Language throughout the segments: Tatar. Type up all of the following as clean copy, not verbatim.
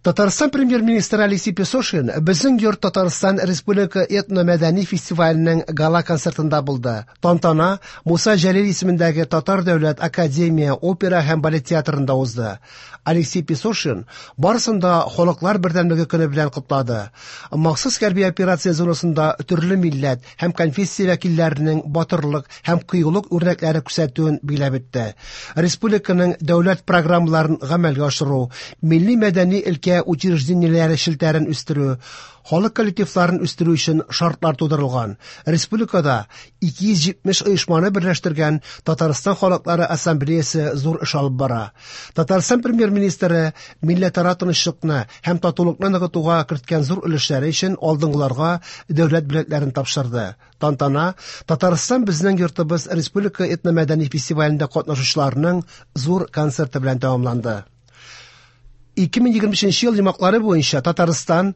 Татарстан премьер-министры Алексей Песошин «Безнең йорт Татарстан республика этно-мәдәни фестиваленең гала-концертында булды. Тантана Муса Җәлил исемендәге Татар дәүләт академия опера һәм балет театрында узды. Алексей Песошин барысын да Халыклар бердәмлеге көне белән котлады. Махсус хәрби операция зонасында төрле милләт һәм конфессия вәкилләренең батырлык һәм кыюлык үрнәкләре күрсәтүен билгеләп үтте. Республиканың дәүләт программаларын гамәлгә ашыру, милли-мәдәни өлкә учреждениеләре челтәрен үстерү, халык коллективларын үстерү өчен шартлар тудырылган. Республикада 270 оешманы берләштергән Татарстан халыклары ассамблеясы зур эш алып бара. Татарстан премьер-министры милләтара тынычлыкны һәм татулыкны ныгытуга керткән зур өлешләре өчен алдынгыларга дәүләт бүләкләрен тапшырды. Тантана Татарстан безнең йортыбыз республика этномәдәни фестивалендә катнашучыларның зур концерты белән тәмамланды. 2023 ел йомгаклары буенча Татарстан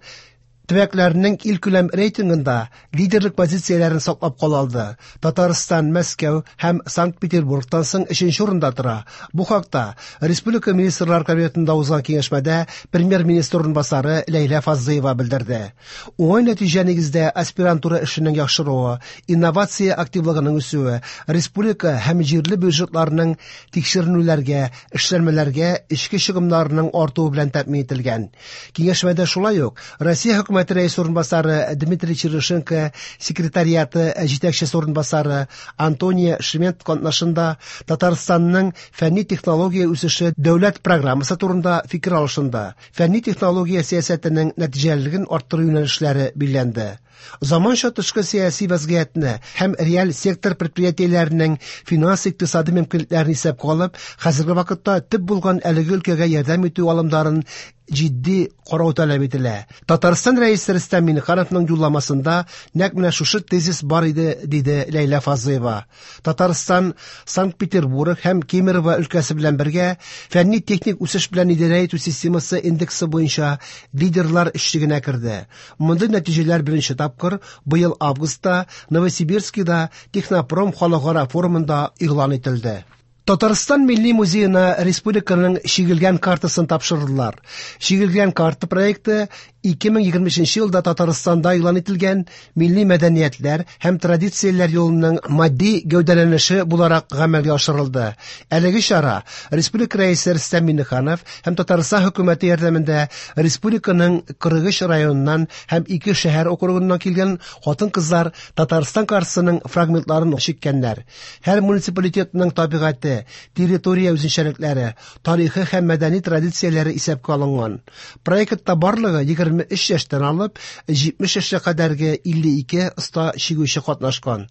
төбәкләренең илкүләм рейтингында лидерлык позицияләрен саклап кала алды. Татарстан Мәскәү һәм Санкт-Петербургтан соң өченче урында тора. Бу хакта Республика Министрлар Кабинетында узган киңәшмәдә премьер-министр урынбасары Ләйлә Фазлыева белдерде. Уңай нәтиҗә нигездә аспирантура эшенең яхшыруы, инновация активлыгының үсүе, республика һәм җирле бюджетларның тикшеренүләргә, эшләнмәләргә эчке чыгымнарының артуы белән тәэмин ителгән. Киңәшмәдә шулай ук Россия хөкүмәте рәисе урынбасары Дмитрий Чернышенко секретариаты җитәкчесе урынбасары Антония Шмент катнашында Татарстанның фәнни-технология үсеше дәүләт программасы турында фикер алышынды. Фәнни-технология сәясәтенең нәтиҗәлелеген арттыру юнәлешләре билгеләнде. Заманча тышкы сәяси вазгыятьне һәм реаль сектор предприятиеләренең финанс-икътисади мөмкинлекләрен исәпкә алып, хәзерге вакытта төп булган әлеге өлкәгә ярдәм итү алымнарын җитди карау таләп ителә. Татарстан Рәисе Рөстәм Миңнехановның юлламасында нәкъ менә шушы тезис бар иде, диде Ләйлә Фазлыева. Татарстан Санкт-Петербург һәм Кемерово өлкәсе белән бергә фәнни-техник үсеш белән идарә итү системасы индексы буенча лидерлар өчлегенә керде. Мондый нәтиҗәләр беренче тапкыр быел августта Новосибирскида Технопром халыкара форумында игълан ителде. Татарстан Милли музеена республиканың чигелгән картасын тапшырдылар. Чигелгән карта проекты 2023 елда Татарстанда игълан ителгән милли мәдәниятләр һәм традицияләр юлының матди гәүдәләнеше буларак гамәлгә ашырылды. Әлеге чара Республика Рәисе Рөстәм Миңнеханов һәм Татарстан хөкүмәте ярдәмендә республиканың 43 районыннан һәм ике шәһәр округыннан килгән хатын-кызлар Татарстан картасының фрагментларын чиккәннәр. Һәр муниципалитетның табигате, территория үзенчәлекләре, тарихы һәм мәдәни традицияләре исәпкә алынган. Проектта барлыгы 23 яшьтән алып 70 яшькә кадәрге 52 оста чигүче катнашкан.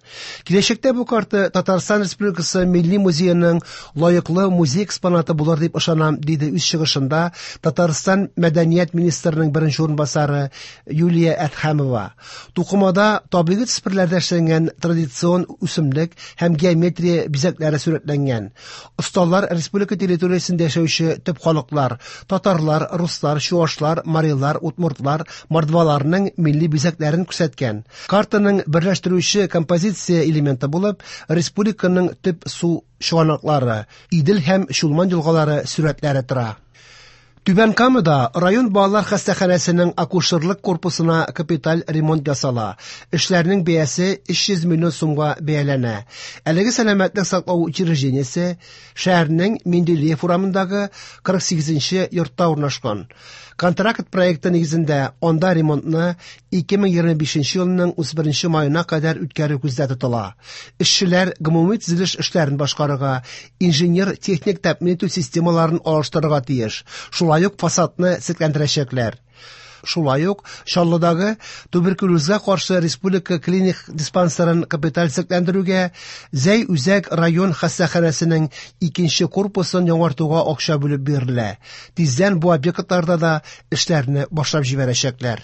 Киләчәктә бу карта Татарстан Республикасы Милли музееның лаеклы музей экспонаты булыр дип ышанам, диде үз чыгышында Татарстан мәдәният министрының беренче урынбасары Юлия Әдһәмова. Тукымада табигый төсмерләрдә эшләнгән традицион үсемлек һәм геометрия бизәкләре сурәтләнгән. Осталар республика территориясендә яшәүче төп халыклар – татарлар, руслар, чуашлар, марилар, удмуртлар, мордваларның милли бизәкләрен күрсәткән. Картаның берләштерүче композиция элементы булып республиканың төп су чыганаклары – Идел һәм Чулман елгалары сурәтләре тора. Түбән Камада район балалар хастаханәсенең акушерлык корпусына капиталь ремонт ясала. Эшләрнең бәясе 300 миллион сумга бәяләнә. Әлеге сәламәтлек саклау учреждениесе шәһәрнең Менделеев урамындагы 48 йортта урнашкан. Контракт проекты нигезендә анда ремонтны 2025 елның 31 маена кадәр үткәрү күздә тотыла. Эшчеләр гомуми төзелеш эшләрен башкарырга, инженер-техник тәэмин итү системаларын алыштырырга тиеш. Шулай ук фасадны төзекләндерәчәкләр. Шулай ук Чаллыдагы туберкулезга каршы республика клиник диспансерын капиталь төзекләндерүгә, Зәй үзәк район хастаханәсенең икенче корпусын яңартуга акча бүлеп бирелә. Тиздән бу объектларда да эшләрне башлап җибәрәчәкләр.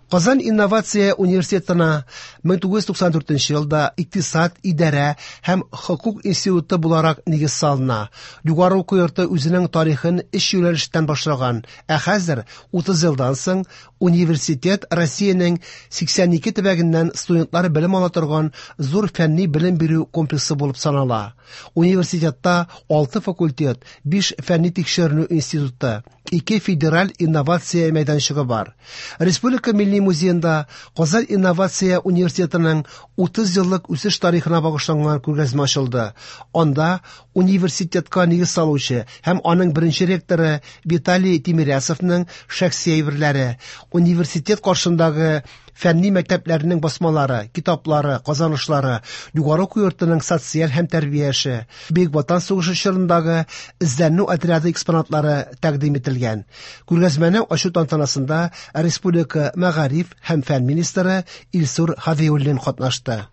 Казан инновация университетына 1994 елда икътисад, идарә һәм хокук институты буларак нигез салына. Югары уку йорты үзенең тарихын өч юнәлештән башлаган, ә хәзер 30 елдан соң университет Россиянең 82 төбәгеннән студентлар белем ала торган зур фәнни белем бирү комплексы булып санала. Университетта 6 факультет, 5 фәнни тикшеренү институты, Ике федераль инновация мәйданчыгы бар. Республика Милли музеенда Казан инновация университетының 30 еллык үсеш тарихына багышланган күргәзмә ачылды. Анда университетка нигез салучы һәм аның беренче ректоры Виталий Тимирясовның шәхси әйберләре, университет каршындагы фәнни мәктәпләрнең басмалары, китаплары, казанышлары, югары уку йортының социаль һәм тәрбия эше, Бөек Ватан сугышы чорындагы эзләнү отряды экспонатлары тәкъдим ителгән. Күргәзмәне ачу тантанасында республика мәгариф һәм фән министры Илсур Һадиуллин катнашты.